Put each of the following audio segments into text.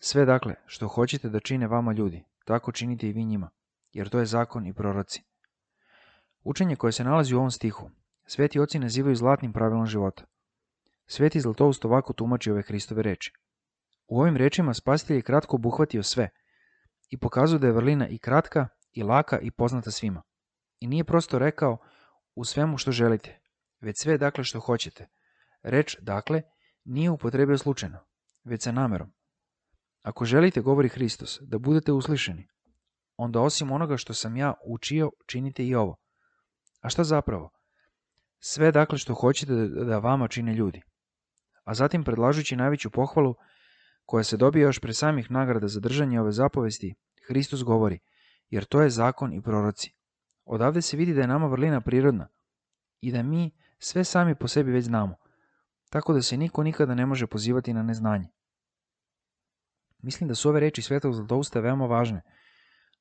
Sve dakle, što hoćete da čine vama ljudi, tako činite i vi njima, jer to je zakon i proroci. Učenje koje se nalazi u ovom stihu, sveti oci nazivaju zlatnim pravilom života. Sveti Zlatoust ovako tumači ove Hristove reči. U ovim rečima Spasitelj je kratko obuhvatio sve i pokazuje da je vrlina i kratka, i laka, i poznata svima. I nije prosto rekao u svemu što želite, već sve dakle što hoćete. Reč dakle nije upotrebio slučajno, već sa namerom. Ako želite, govori Hristos, da budete uslišeni, onda osim onoga što sam ja učio, činite i ovo. A šta zapravo? Sve dakle što hoćete da vama čine ljudi. A zatim, predlažući najveću pohvalu, koja se dobije još pre samih nagrada za držanje ove zapovesti, Hristos govori, jer to je zakon i proroci. Odavde se vidi da je nama vrlina prirodna i da mi sve sami po sebi već znamo, tako da se niko nikada ne može pozivati na neznanje. Mislim da su ove reči Svetog Zlatousta veoma važne,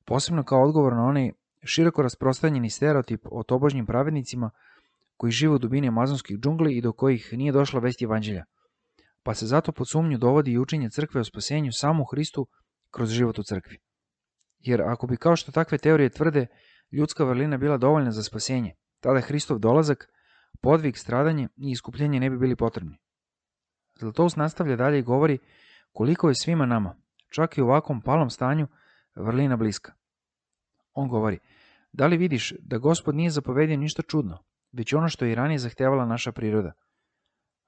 posebno kao odgovor na onaj široko rasprostranjeni stereotip o tobožnjim pravednicima koji žive u dubini amazonskih džungli i do kojih nije došla vest evanđelja, pa se zato pod sumnju dovodi i učenje crkve o spasenju samo u Hristu kroz život u crkvi. Jer ako bi, kao što takve teorije tvrde, ljudska vrlina bila dovoljna za spasenje, tada Hristov dolazak, podvig, stradanje i iskupljenje ne bi bili potrebni. Zlatoust nastavlja dalje i govori koliko je svima nama, čak i u ovakvom palom stanju, vrlina bliska. On govori, da li vidiš da Gospod nije zapovedio ništa čudno, već ono što je i ranije zahtevala naša priroda.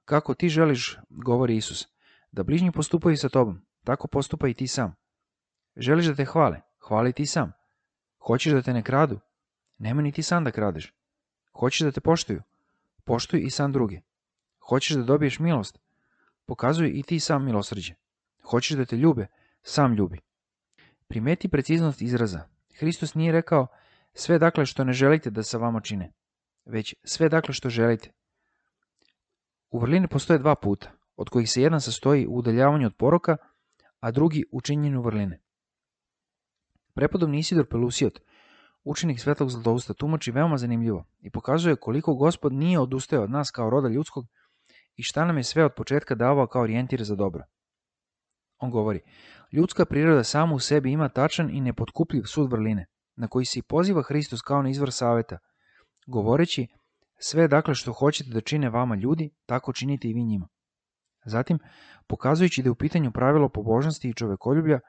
Kako ti želiš, govori Isus, da bližnji postupaju sa tobom, tako postupa i ti sam. Želiš da te hvale, hvali ti sam. Hoćeš da te ne kradu, nemoj ni ti sam da kradeš. Hoćeš da te poštuju, poštuj i sam druge. Hoćeš da dobiješ milost, pokazuj i ti sam milosrđe. Hoćeš da te ljube, sam ljubi. Primeti preciznost izraza. Hristos nije rekao sve dakle što ne želite da sa vama čine, već sve dakle što želite. U vrlini postoje dva puta, od kojih se jedan sastoji u udaljavanju od poroka, a drugi u činjenju vrline. Prepodobni Isidor Pelusiot, učenik Svetog Zlatousta, tumači veoma zanimljivo i pokazuje koliko Gospod nije odustao od nas kao roda ljudskog i šta nam je sve od početka davao kao orijentir za dobro. On govori, ljudska priroda sama u sebi ima tačan i nepotkupljiv sud vrline, na koji se i poziva Hristos kao na izvor saveta, govoreći sve dakle što hoćete da čine vama ljudi, tako činite i vi njima. Zatim, pokazujući da je u pitanju pravilo pobožnosti i čovekoljublja,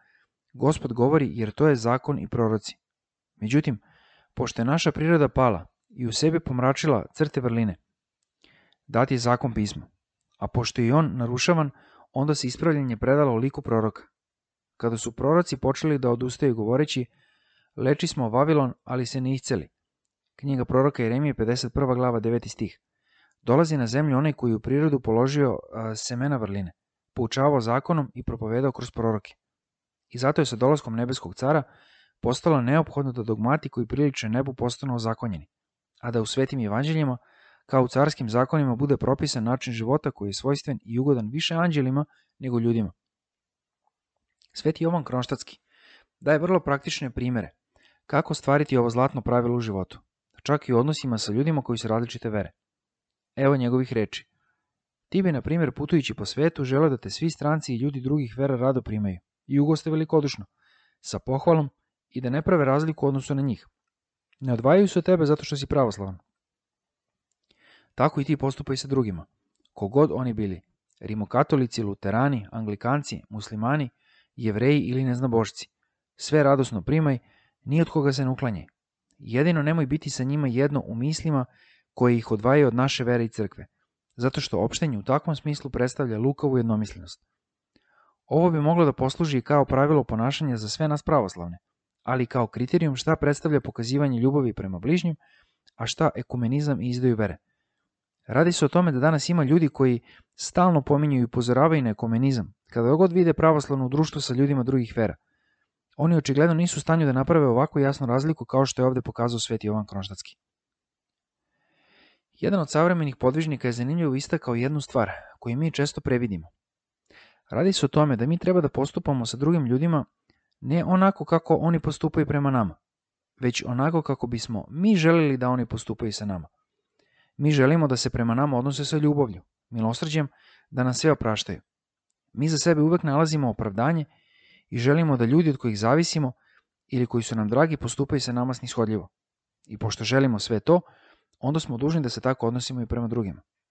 Gospod govori jer to je zakon i proroci. Međutim, pošto je naša priroda pala i u sebi pomračila crte vrline, dat je zakon pisma, a pošto je i on narušavan, onda se ispravljanje predalo u liku proroka. Kada su proroci počeli da odustaju govoreći, leči smo Vavilon, ali se ne isceli. Knjiga proroka Jeremije, 51. glava, 9. stih. Dolazi na zemlju onaj koji u prirodu položio semena vrline, poučavao zakonom i propovedao kroz proroke. I zato je sa dolaskom nebeskog cara postalo neophodno da dogmati koji priliče nebu postanu ozakonjeni, a da u svetim evanđeljima, kao u carskim zakonima, bude propisan način života koji je svojstven i ugodan više anđelima nego ljudima. Sveti Jovan Kronštatski daje vrlo praktične primere kako stvariti ovo zlatno pravilo u životu, čak i u odnosima sa ljudima koji su različite vere. Evo njegovih reči. Ti bi, na primjer, putujući po svetu, želeo da te svi stranci i ljudi drugih vera rado primaju i ugoste velikodušno, sa pohvalom i da ne prave razliku u odnosu na njih. Ne odvajaju se od tebe zato što si pravoslavan. Tako i ti postupaj sa drugima, kogod oni bili, rimokatolici, luterani, anglikanci, muslimani, jevreji ili neznabošci. Sve radosno primaj, ni od koga se ne uklanjaj. Jedino nemoj biti sa njima jedno u mislima koje ih odvajaju od naše vere i crkve, zato što opštenje u takvom smislu predstavlja lukavu jednomislenost. Ovo bi moglo da posluži i kao pravilo ponašanja za sve nas pravoslavne, ali kao kriterijum šta predstavlja pokazivanje ljubavi prema bližnjim, a šta ekumenizam i izdaju vere. Radi se o tome da danas ima ljudi koji stalno pominju i upozoravaju na ekumenizam, kada god vide pravoslavno društvo sa ljudima drugih vera. Oni očigledno nisu u stanju da naprave ovako jasnu razliku kao što je ovde pokazao sveti Jovan Kronštatski. Jedan od savremenih podvižnika je zanimljivo istakao jednu stvar koju mi često previdimo. Radi se o tome da mi treba da postupamo sa drugim ljudima ne onako kako oni postupaju prema nama, već onako kako bismo mi želeli da oni postupaju sa nama. Mi želimo da se prema nama odnose sa ljubavlju, milosrđem, da nas sve opraštaju. Mi za sebe uvek nalazimo opravdanje i želimo da ljudi od kojih zavisimo ili koji su nam dragi postupaju sa nama snishodljivo. I pošto želimo sve to, onda smo dužni da se tako odnosimo i prema drugima.